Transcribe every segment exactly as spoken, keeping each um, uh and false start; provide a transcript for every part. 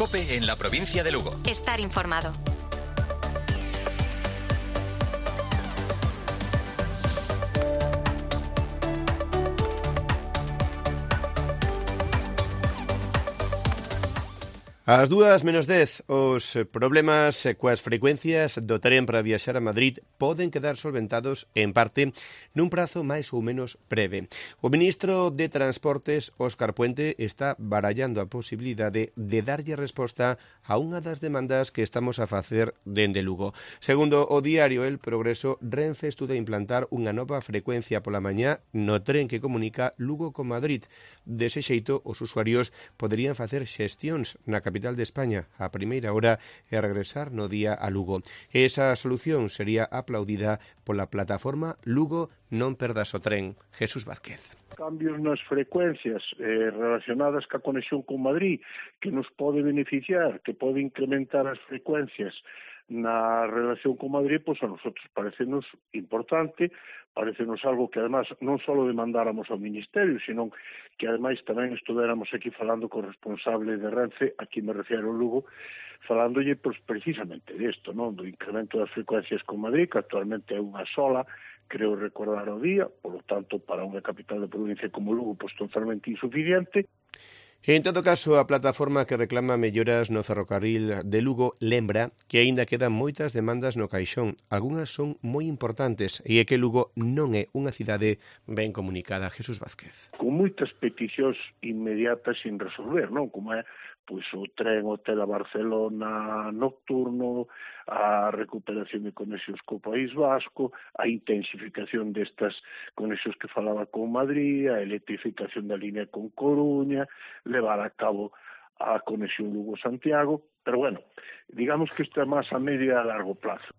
COPE en la provincia de Lugo. Estar informado. Ás dúas menos dez, os problemas coas frecuencias do tren para viaxar a Madrid poden quedar solventados, en parte, nun prazo máis ou menos breve. O ministro de Transportes, Óscar Puente, está barallando a posibilidade de darlle resposta a unha das demandas que estamos a facer dende Lugo. Segundo o diario El Progreso, Renfe estuda implantar unha nova frecuencia pola mañá no tren que comunica Lugo con Madrid. Dese xeito, os usuarios poderían facer xestións na capital de España a primeira hora e regresar no día a Lugo. Esa solución sería aplaudida pola plataforma Lugo Non Perdas o Tren. Jesús Vázquez. Cambios nas frecuencias eh, relacionadas ca conexión con Madrid que nos pode beneficiar, que pode incrementar as frecuencias na relación con Madrid, pois a nosotros parecenos importante, parecenos algo que además non só demandáramos ao Ministerio, sino que ademais tamén estuvéramos aquí falando co responsable de Renfe, aquí me refiero ao Lugo, falándolle pois, precisamente desto, non? Do incremento das frecuencias con Madrid, que actualmente é unha sola, creo recordar o día, polo tanto, para unha capital de provincia como Lugo, pois totalmente insuficiente. En todo caso, a plataforma que reclama melloras no ferrocarril de Lugo lembra que aínda quedan moitas demandas no caixón. Algúnas son moi importantes e é que Lugo non é unha cidade ben comunicada. Jesús Vázquez. Con moitas peticións inmediatas sin resolver, non? Como é pois o tren Hotel a Barcelona nocturno, a recuperación de conexións co País Vasco, a intensificación destas conexións que falaba con Madrid, a electrificación da línea con Coruña, levar a cabo a conexión Lugo-Santiago, pero bueno, digamos que isto é máis a medio e a largo plazo.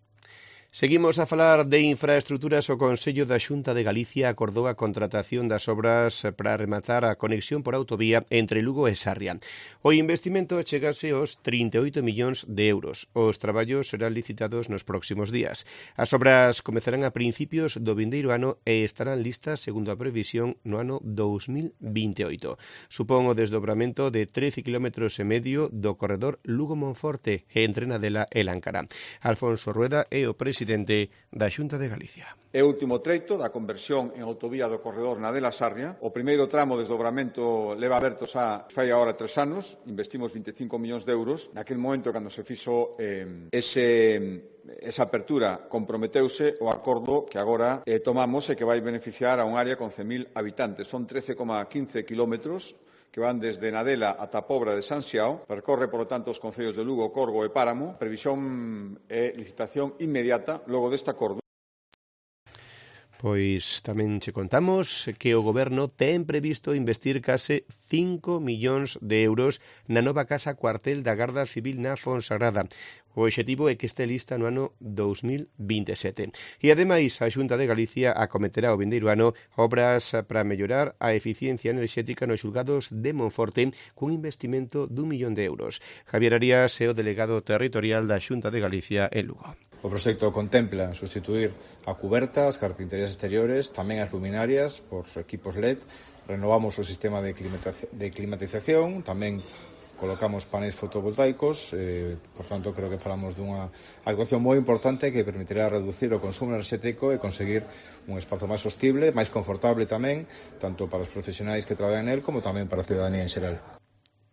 Seguimos a falar de infraestruturas. O Consello da Xunta de Galicia acordou a contratación das obras para rematar a conexión por autovía entre Lugo e Sarria. O investimento chegase aos trinta e oito millóns de euros. Os traballos serán licitados nos próximos días. As obras comezarán a principios do vindeiro ano e estarán listas, segundo a previsión, no ano dous mil vinte e oito. Supón o desdobramento de trece kilómetros e medio do corredor Lugo-Monforte entre Nadela e Láncara. Alfonso Rueda é o presidente da Xunta de Galicia. É o último treito da conversión en autovía do corredor Nadela-Sarria. O primeiro tramo de desdobramento leva aberto xa fai agora tres anos, investimos vinte e cinco millóns de euros. Naquel momento, cando se fixo eh, ese... esa apertura, comprometeuse o acordo que agora eh, tomamos e que vai beneficiar a un área con cen mil habitantes. Son trece coma quince kilómetros que van desde Nadela ata a Pobra de San Xiao, percorre, por lo tanto, os concellos de Lugo, Corgo e Páramo. Previsión e licitación inmediata logo deste acordo. Pois tamén che contamos que o Goberno ten previsto investir case cinco millóns de euros na nova casa cuartel da Garda Civil na Fonsagrada. O obxectivo é que este lista no ano dous mil vinte e sete. E, ademais, a Xunta de Galicia acometerá o vindeiro ano obras para mellorar a eficiencia enerxética nos xulgados de Monforte cun investimento dun millón de euros. Javier Arias é o delegado territorial da Xunta de Galicia en Lugo. O proxecto contempla sustituir a cuberta, as carpinterías exteriores, tamén as luminarias por equipos L E D, renovamos o sistema de climatización, tamén colocamos paneis fotovoltaicos, eh, por tanto, creo que falamos dunha actuación moi importante que permitirá reducir o consumo enerxético e conseguir un espazo máis sostible, máis confortable tamén, tanto para os profesionais que traballan nel como tamén para a ciudadanía en xeral.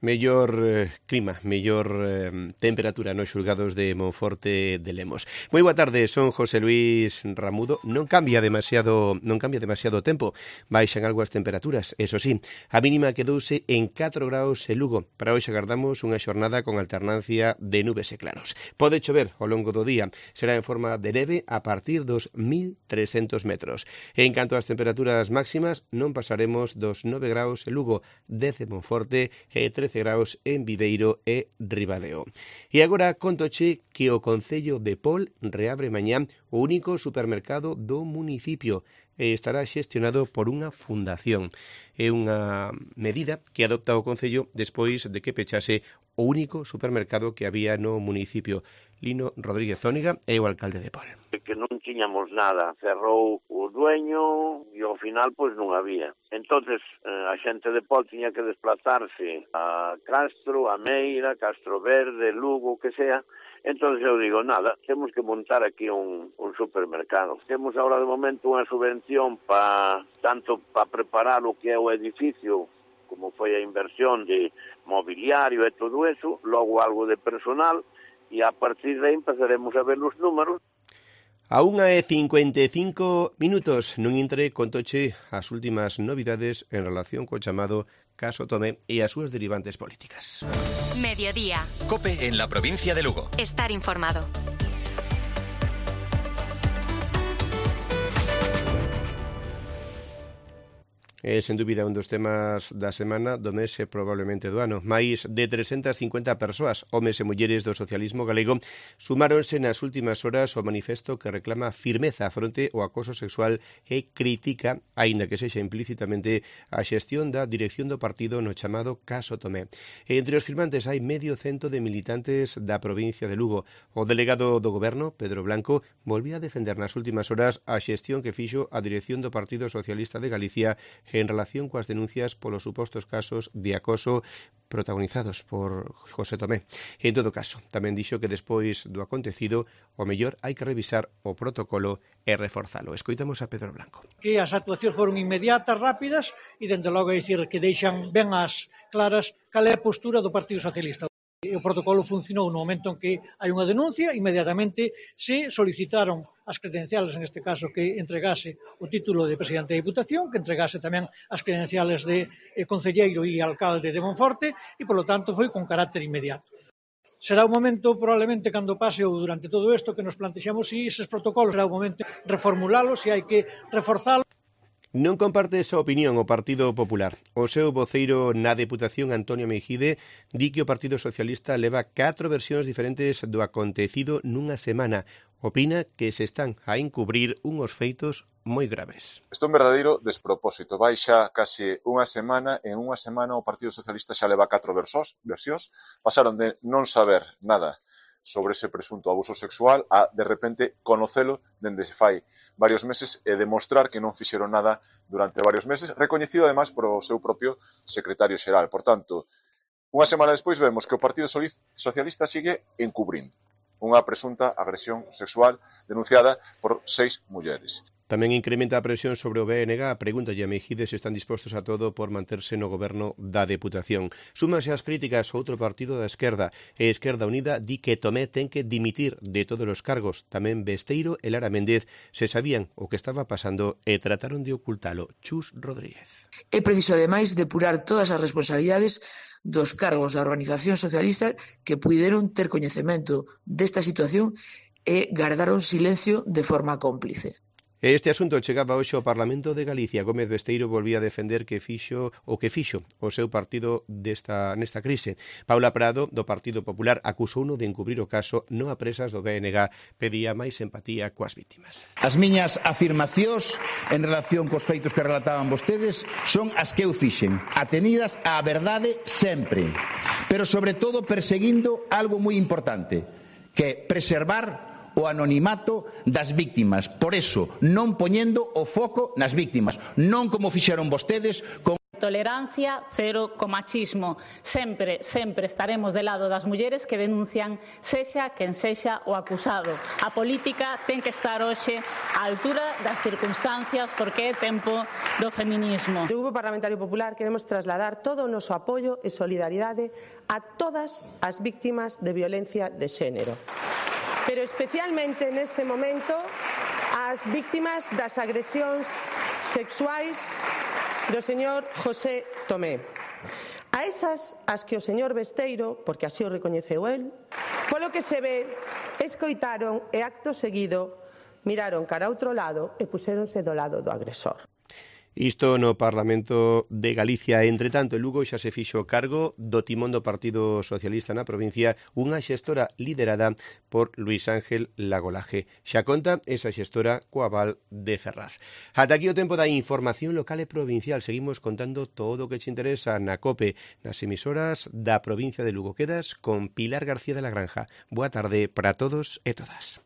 Mellor eh, clima, mellor eh, temperatura nos xulgados de Monforte de Lemos. Moi boa tarde, son José Luis Ramudo. Non cambia demasiado, non cambia demasiado o tempo. Baixan algo as temperaturas, eso sí. A mínima quedouse en catro graus en Lugo. Para hoxe agardamos unha xornada con alternancia de nubes e claros. Pode chover ao longo do día. Será en forma de neve a partir dos mil trescentos metros. En canto ás temperaturas máximas, non pasaremos dos nove graus en Lugo, dez en Monforte e trece graus en Viveiro e Ribadeo. E agora contoche que o Concello de Pol reabre mañá o único supermercado do municipio e estará xestionado por unha fundación. É unha medida que adopta o Concello despois de que pechase o único supermercado que había no municipio. Lino Rodríguez Zóniga é o alcalde de Pol. Que non tiñamos nada, cerrou o dueño e ao final pois non había. Entonces a xente de Pol tiña que desplazarse a Castro, a Meira, Castro Verde, Lugo, que sea. Entonces eu digo, nada, temos que montar aquí un, un supermercado. Temos agora de momento unha subvención pa, tanto para preparar o que é o edificio, como foi a inversión de mobiliario e todo eso, logo algo de personal, e a partir de aí empezaremos a ver os números. A unha e cincuenta e cinco minutos nun intre contoche as últimas novidades en relación co chamado caso Tomé e as súas derivantes políticas. Mediodía. COPE en la provincia de Lugo. Estar informado. É, sen dúbida, un dos temas da semana do mes e probablemente do ano. Máis de trescentas cincuenta persoas, homes e mulleres do socialismo galego, sumáronse nas últimas horas ao manifesto que reclama firmeza fronte ao acoso sexual e critica, aínda que sexa implícitamente, a xestión da dirección do partido no chamado caso Tomé. E entre os firmantes hai medio cento de militantes da provincia de Lugo. O delegado do goberno, Pedro Blanco, volvía a defender nas últimas horas a xestión que fixo a dirección do Partido Socialista de Galicia en relación coas denuncias polos supostos casos de acoso protagonizados por José Tomé. En todo caso, tamén dixo que despois do acontecido, o mellor hai que revisar o protocolo e reforzalo. Escoitamos a Pedro Blanco. Que as actuacións foron inmediatas, rápidas, e dende logo dicir que deixan ben as claras cal é a postura do Partido Socialista. O protocolo funcionou no momento en que hai unha denuncia, inmediatamente se solicitaron as credenciales, en este caso que entregase o título de presidente da Diputación, que entregase tamén as credenciales de eh, concelleiro e alcalde de Monforte, e, polo tanto, foi con carácter inmediato. Será un momento, probablemente, cando pase ou durante todo isto, que nos plantexamos se eses protocolos, será un momento de reformulálos, se hai que reforzalos. Non comparte esa opinión o Partido Popular. O seu voceiro na Deputación, Antonio Meijide, di que o Partido Socialista leva catro versións diferentes do acontecido nunha semana. Opina que se están a encubrir unhos feitos moi graves. Isto é un verdadeiro despropósito. Vai xa case unha semana, en unha semana o Partido Socialista xa leva catro versións, pasaron de non saber nada sobre ese presunto abuso sexual a, de repente, conocelo dende se fai varios meses e demostrar que non fixeron nada durante varios meses, recoñecido ademais por o seu propio secretario xeral. Por tanto, unha semana despois vemos que o Partido Socialista sigue encubrindo unha presunta agresión sexual denunciada por seis mulleres. Tamén incrementa a presión sobre o B N G. Pregúntalle a Meijide se están dispostos a todo por manterse no goberno da Deputación. Súmase as críticas outro partido da esquerda. E Esquerda Unida di que Tomé ten que dimitir de todos os cargos. Tamén Besteiro e Lara Méndez se sabían o que estaba pasando e trataron de ocultalo. Chus Rodríguez. É preciso, ademais, depurar todas as responsabilidades dos cargos da organización socialista que puideron ter coñecemento desta situación e gardaron silencio de forma cómplice. Este asunto chegaba hoxe ao Parlamento de Galicia. Gómez Besteiro volvía a defender que fixo o que fixo o seu partido desta, nesta crise. Paula Prado, do Partido Popular, acusouno de encubrir o caso non a presas do B N G. Pedía máis empatía coas vítimas. As miñas afirmacións en relación cos feitos que relataban vostedes son as que eu fixen, atenidas á verdade sempre, pero sobre todo perseguindo algo moi importante, que é preservar o anonimato das víctimas. Por eso, non poñendo o foco nas víctimas, non como fixeron vostedes con tolerancia cero co machismo. Sempre, sempre estaremos de lado das mulleres que denuncian sexa quen sexa o acusado. A política ten que estar hoxe á altura das circunstancias porque é tempo do feminismo. Do Grupo Parlamentario Popular queremos trasladar todo o noso apoio e solidaridade a todas as víctimas de violencia de xénero, pero especialmente neste momento ás víctimas das agresións sexuais do señor José Tomé. A esas as que o señor Besteiro, porque así o recoñeceu el, polo que se ve, escoitaron e acto seguido miraron cara a outro lado e puxéronse do lado do agresor. Isto no Parlamento de Galicia. Entre tanto, en Lugo xa se fixo cargo do timón do Partido Socialista na provincia unha xestora liderada por Luís Ángel Lagolaje. Xa conta esa xestora co aval de Ferraz. Ata aquí o tempo da información local e provincial. Seguimos contando todo o que che interesa na COPE, nas emisoras da provincia de Lugo. Quedas con Pilar García de la Granja. Boa tarde para todos e todas.